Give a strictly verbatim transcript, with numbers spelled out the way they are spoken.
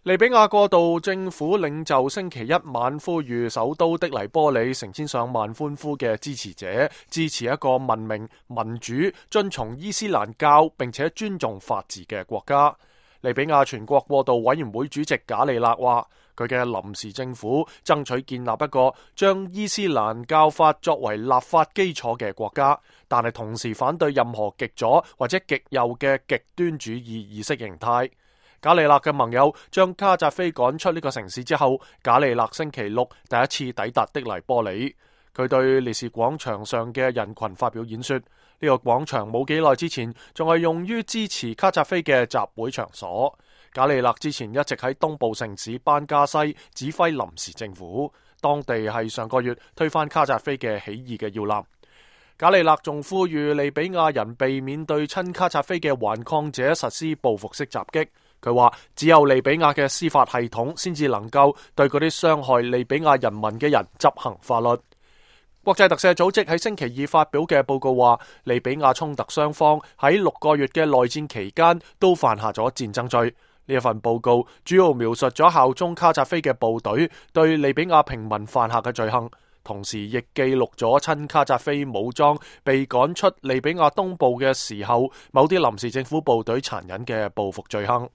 利比亞過渡政府領袖星期一晚呼籲首都的黎波里成千上萬歡呼嘅支持者支持一個文明、民主、遵從伊斯蘭教並且尊重法治嘅國家。利比亞全國過渡委員會主席賈利勒話，佢嘅臨時政府爭取建立一個將伊斯蘭教法作為立法基礎嘅國家，但係同時反對任何極左或者極右嘅極端主義意識形態。賈利勒嘅盟友將卡扎菲趕出呢個城市之後，賈利勒星期六第一次抵達的黎波里。佢對烈士廣場上嘅人群發表演說。呢、這個廣場冇幾耐之前仲係用於支持卡扎菲嘅集會場所。賈利勒之前一直喺東部城市班加西指揮臨時政府，當地係上個月推翻卡扎菲嘅起義嘅要攬。賈利勒仲呼籲利比亞人避免對親卡扎菲嘅頑抗者實施報復式襲擊。佢話只有利比亞嘅司法系統先至能夠對嗰啲傷害利比亞人民嘅人執行法律。國際特赦組織喺星期二發表嘅報告話，利比亞衝突雙方喺六個月嘅內戰期間都犯下咗戰爭罪。呢一份報告主要描述咗效忠卡扎菲嘅部隊對利比亞平民犯下嘅罪行，同時亦記錄咗親卡扎菲武裝被趕出利比亞東部嘅時候，某啲臨時政府部隊殘忍嘅報復罪行。